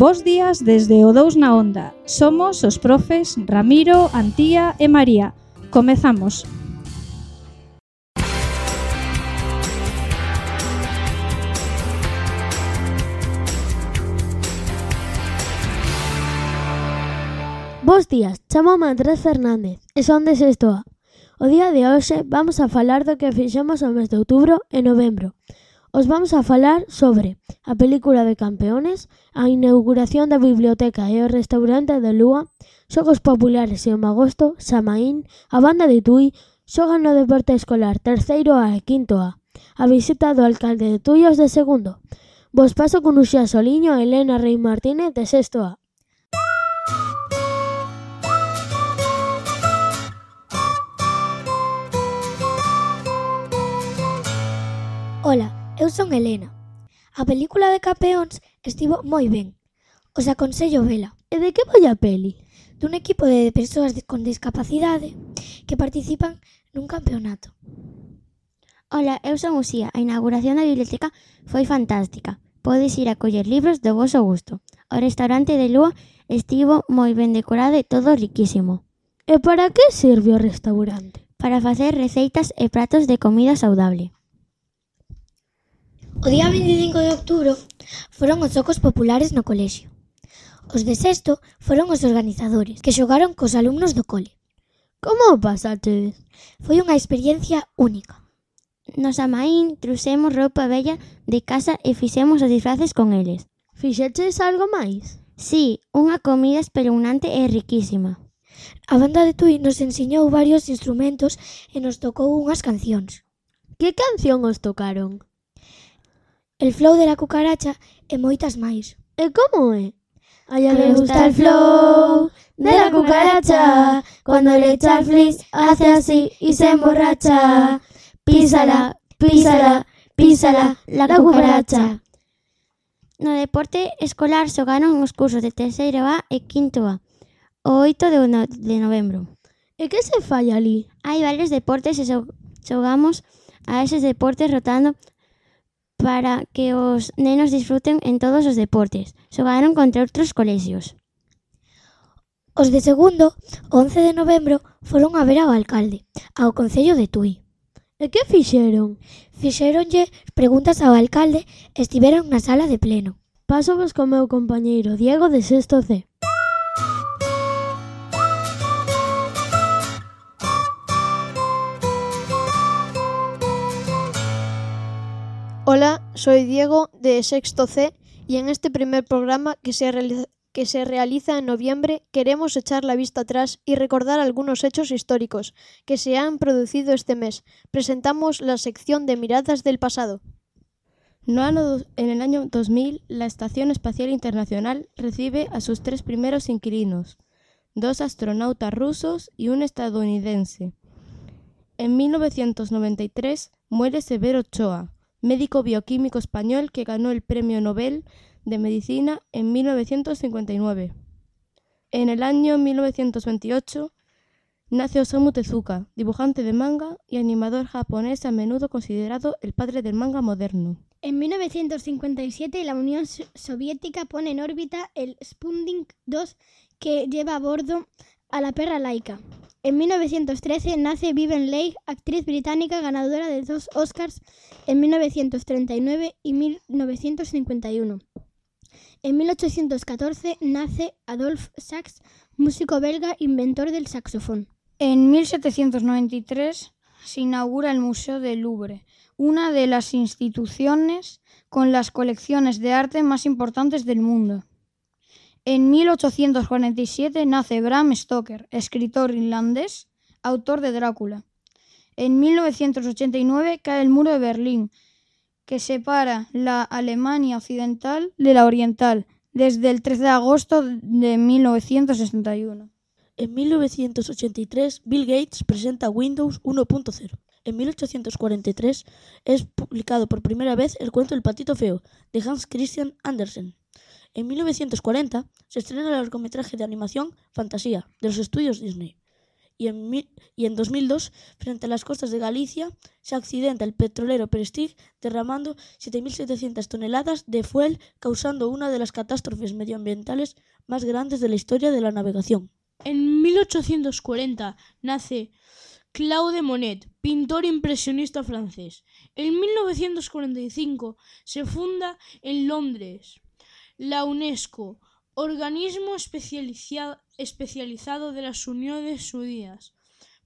Bos días desde o 2 na Onda. Somos os profes Ramiro, Antía e María. Comezamos. Bos días, chamome Andrés Fernández e son de sexto A. O día de hoxe vamos a falar do que fixemos o mes de outubro e novembro. Os vamos a falar sobre a película de Campeones, a inauguración da biblioteca e o restaurante de Lúa, xogos populares e o Magosto, Samaín, a banda de Tui, xogan no deporte escolar terceiro A e quinto A, a visita do alcalde de Tui aos de segundo. Vos paso con Uxía Soliño e Elena Rei Martínez de sexto A. Ola, eu son Elena. A película de Campeóns estivo moi ben. Os aconsello vela. E de que vai a peli? Dun equipo de persoas con discapacidade que participan nun campeonato. Ola, eu son Uxía. A inauguración da biblioteca foi fantástica. Podes ir a coller libros do voso gusto. O restaurante de Lúa estivo moi ben decorado e todo riquísimo. E para que serve o restaurante? Para facer receitas e pratos de comida saudable. O día 25 de outubro foron os xogos populares no colexio. Os de sexto foron os organizadores, que xogaron cos alumnos do cole. Como o pasachedes? Foi unha experiencia única. No Samaín trouxemos roupa vella de casa e fixemos os disfraces con eles. Fixeches algo máis? Sí, unha comida espeluznante e riquísima. A banda de Tui nos ensiñou varios instrumentos e nos tocou unhas cancións. Que canción os tocaron? El flow de la cucaracha e moitas máis. E como é? A ella le gusta el flow de la cucaracha. Cuando le echa el flis hace así y se emborracha. Písala, písala, písala, la cucaracha. No deporte escolar xogaron os cursos de terceiro A e quinto A, o 8 de novembro. E que se fai ali? Hai varios deportes e xogamos a eses deportes rotando para que os nenos disfruten en todos os deportes. Xogaron contra outros colexios. Os de segundo, o 11 de novembro, foron a ver ao alcalde, ao Concello de Tui. E que fixeron? Fixéronlle preguntas ao alcalde e estiveron na sala de pleno. Pásovos co meu compañeiro Diego de sexto C. Hola, soy Diego de sexto C y en este primer programa que se realiza en noviembre queremos echar la vista atrás y recordar algunos hechos históricos que se han producido este mes. Presentamos la sección de Miradas del pasado. En el año 2000, la Estación Espacial Internacional recibe a sus 3 primeros inquilinos, 2 astronautas rusos y un estadounidense. En 1993 muere Severo Ochoa, médico bioquímico español que ganó el Premio Nobel de Medicina en 1959. En el año 1928 nace Osamu Tezuka, dibujante de manga y animador japonés a menudo considerado el padre del manga moderno. En 1957 la Unión Soviética pone en órbita el Sputnik 2 que lleva a bordo a la perra Laika. En 1913 nace Vivien Leigh, actriz británica ganadora de 2 Oscars en 1939 y 1951. En 1814 nace Adolphe Sax, músico belga, inventor del saxofón. En 1793 se inaugura el Museo del Louvre, una de las instituciones con las colecciones de arte más importantes del mundo. En 1847 nace Bram Stoker, escritor irlandés, autor de Drácula. En 1989 cae el muro de Berlín, que separa la Alemania occidental de la oriental, desde el 13 de agosto de 1961. En 1983, Bill Gates presenta Windows 1.0. En 1843 es publicado por primera vez el cuento El patito feo, de Hans Christian Andersen. En 1940 se estrena el largometraje de animación Fantasía, de los estudios Disney. y en 2002, frente a las costas de Galicia, se accidenta el petrolero Prestige derramando 7.700 toneladas de fuel, causando una de las catástrofes medioambientales más grandes de la historia de la navegación. En 1840 nace Claude Monet, pintor impresionista francés. En 1945 se funda en Londres la UNESCO, organismo especializado de las Naciones Unidas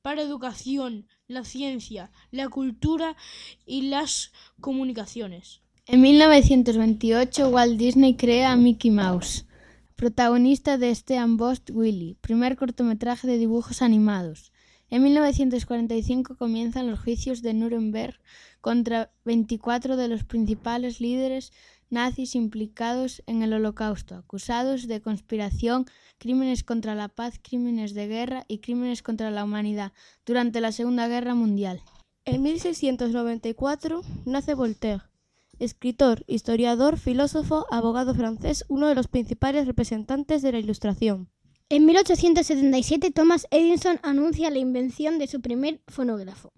para educación, la ciencia, la cultura y las comunicaciones. En 1928 Walt Disney crea a Mickey Mouse, protagonista de Steam Ghost Willie, primer cortometraje de dibujos animados. En 1945 comienzan los juicios de Nuremberg contra 24 de los principales líderes nazis implicados en el Holocausto, acusados de conspiración, crímenes contra la paz, crímenes de guerra y crímenes contra la humanidad durante la Segunda Guerra Mundial. En 1694 nace Voltaire, escritor, historiador, filósofo, abogado francés, uno de los principales representantes de la Ilustración. En 1877 Thomas Edison anuncia la invención de su primer fonógrafo.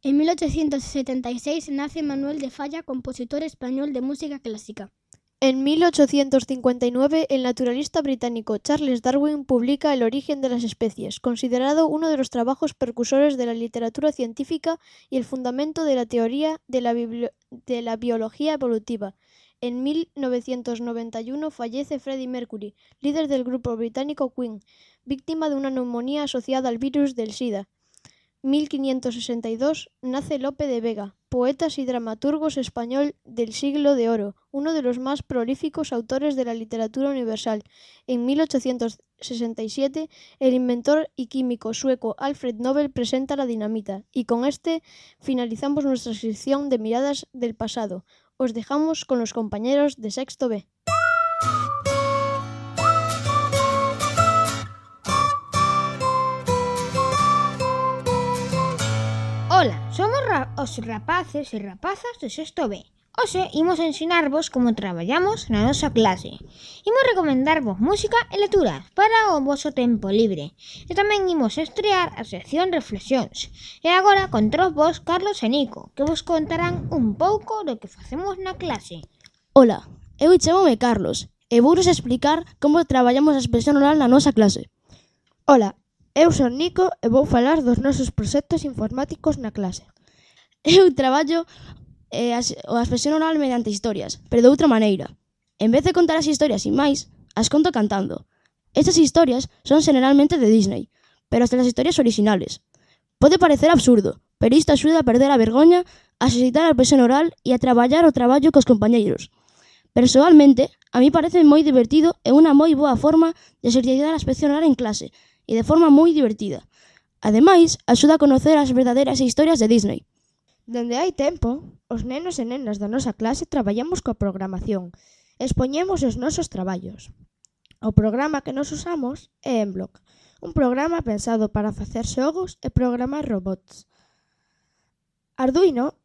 En 1876 nace Manuel de Falla, compositor español de música clásica. En 1859, el naturalista británico Charles Darwin publica El origen de las especies, considerado uno de los trabajos precursores de la literatura científica y el fundamento de la teoría de la biología evolutiva. En 1991 fallece Freddie Mercury, líder del grupo británico Queen, víctima de una neumonía asociada al virus del SIDA. 1562 nace Lope de Vega, poeta y dramaturgo español del Siglo de Oro, uno de los más prolíficos autores de la literatura universal. En 1867, el inventor y químico sueco Alfred Nobel presenta la dinamita. Y con este finalizamos nuestra sección de Miradas del Pasado. Os dejamos con los compañeros de Sexto B. Ola, somos os rapaces e rapazas de Sexto B. Hoxe imos ensinarvos como traballamos na nosa clase. Imos recomendarvos música e lecturas para o voso tempo libre. E tamén imos estrear a sección Reflexións. E agora controvos Carlos e Nico, que vos contarán un pouco do que facemos na clase. Ola, eu chamome Carlos e vouros explicar como traballamos a expresión oral na nosa clase. Ola, eu son Nico e vou falar dos nosos proxectos informáticos na clase. Eu traballo a expresión oral mediante historias, pero de outra maneira. En vez de contar as historias sin máis, as conto cantando. Estas historias son generalmente de Disney, pero hasta as historias originales. Pode parecer absurdo, pero isto axuda a perder a vergoña, a exercitar a expresión oral e a traballar o traballo cos compañeiros. Persoalmente, a mí parece moi divertido e unha moi boa forma de exercitar a expresión oral en clase, e de forma moi divertida. Ademais, axuda a conocer as verdadeiras historias de Disney. Dende hai tempo, os nenos e nenas da nosa clase traballamos coa programación. Expoñemos os nosos traballos. O programa que nos usamos é Emblock, un programa pensado para facer xogos e programar robots. Arduino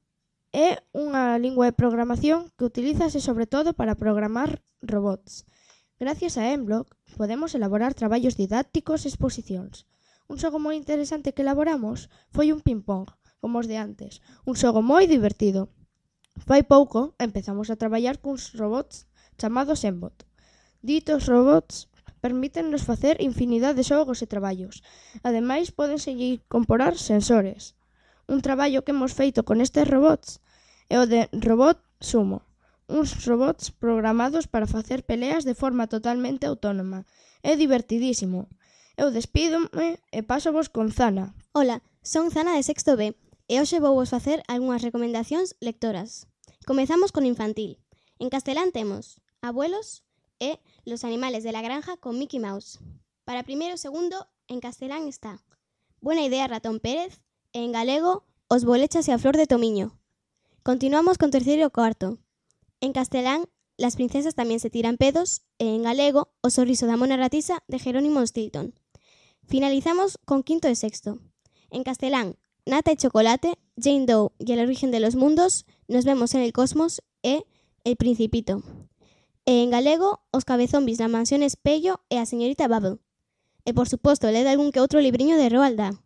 é unha lingua de programación que utilízase sobre todo para programar robots. Gracias a Emblock podemos elaborar traballos didácticos e exposicións. Un xogo moi interesante que elaboramos foi un ping-pong, como os de antes, un xogo moi divertido. Fai pouco empezamos a traballar cuns robots chamados Embot. Ditos robots permítennos facer infinidade de xogos e traballos. Ademais, pódense incorporar sensores. Un traballo que hemos feito con estes robots é o de Robot Sumo, uns robots programados para facer peleas de forma totalmente autónoma. É divertidísimo. Eu despídome e pásovos con Zana. Ola, son Zana de Sexto B e hoxe vou vos facer algunhas recomendacións lectoras. Comezamos con infantil. En castelán temos Abuelos e Los animales de la granja con Mickey Mouse. Para primeiro e segundo, en castelán está Buena idea Ratón Pérez e en galego Os bolechas e a flor de tomiño. Continuamos con terceiro e cuarto. En castelán, Las princesas tamén se tiran pedos e en galego O sorriso da mona ratisa de Jerónimo Stilton. Finalizamos con quinto e sexto. En castelán, Nata y chocolate, Jane Doe y el origen de los mundos, Nos vemos en el cosmos e El Principito. E en galego, Os cabezombis na mansión Espello e a señorita Bubble. E, por suposto, led algún que outro libriño de Roald Dahl.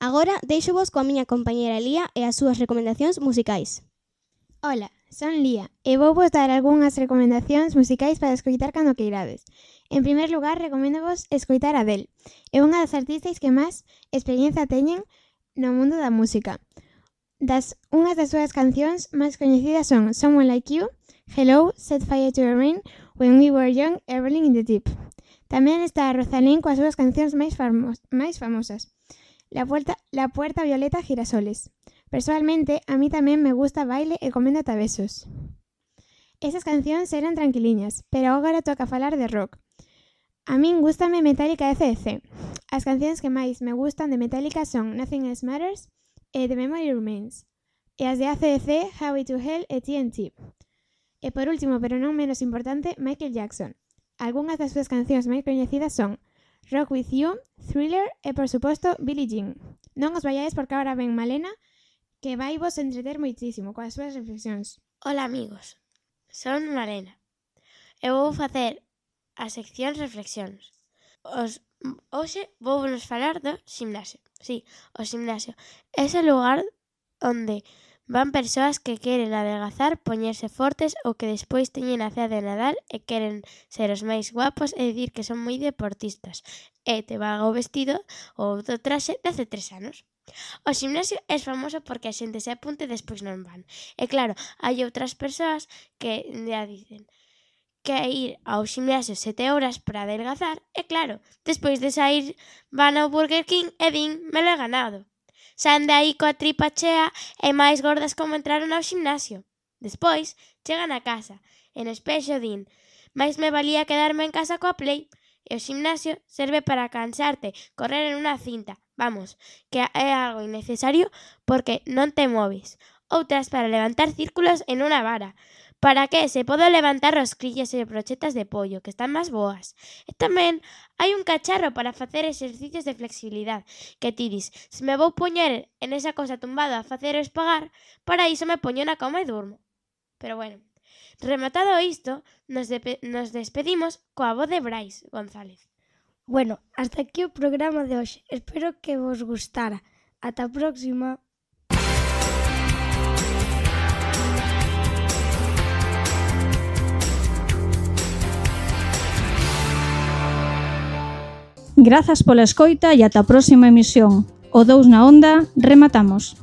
Agora, deixo-vos coa miña compañera Lía e as súas recomendacións musicais. Ola, son Lía e vou vos dar algunhas recomendacións musicais para escoitar cando queirades. En primer lugar, recoméndovos escoitar a Adele. É unha das artistas que máis experiencia teñen no mundo da música. Unhas das súas cancións máis coñecidas son Someone Like You, Hello, Set Fire to the Rain, When We Were Young e Rolling in the Deep. Tamén está Rosalén coas súas cancións máis famosas. La Puerta Violeta, Girasoles. Personalmente, a mí tamén me gusta Baile e Coméndote a Besos. Esas cancións eran tranquiliñas, pero agora toca falar de rock. A min gústame Metallica e AC/DC. As cancións que máis me gustan de Metallica son Nothing Else Matters e The Memory Remains. E as de AC/DC, Highway to Hell e TNT. E por último, pero non menos importante, Michael Jackson. Algunhas das súas cancións máis coñecidas son Rock With You, Thriller e, por suposto, Billie Jean. Non os vayades porque agora ven Malena, que vai vos entreter moitísimo coas súas reflexións. Hola amigos, son Malena. Eu vou facer a sección reflexións. Hoxe vou vos falar do gimnasio. Sí, o gimnasio. Ese lugar onde van persoas que queren adelgazar, poñerse fortes ou que despois teñen a cea de Nadal e queren ser os máis guapos e dicir que son moi deportistas. E te van o vestido ou do traxe de hace 3 anos. O gimnasio é famoso porque a xente se apunte e despois non van. E claro, hai outras persoas que ya dicen que ir ao gimnasio 7 horas para adelgazar e claro, despois de sair van ao Burger King e din, me lo he ganado. Saen de aí coa tripa chea e máis gordas como entraron ao gimnasio. Despois, chegan a casa e no espexo din, máis me valía quedarme en casa coa Play. E o gimnasio serve para cansarte, correr en unha cinta. Vamos, que é algo innecesario porque non te moves. Outras para levantar círculos en unha vara. Para que se podo levantar rosquillas e brochetas de pollo, que están máis boas. E tamén hai un cacharro para facer exercicios de flexibilidade, que ti dis, se me vou poñer en esa cosa tumbado a facer o espagar, para iso me poño na cama e durmo. Pero bueno, rematado isto, nos despedimos coa voz de Brais González. Bueno, hasta aquí o programa de hoxe. Espero que vos gustara. Ata a próxima. Grazas pola escoita e ata a próxima emisión. O 2 na onda, rematamos.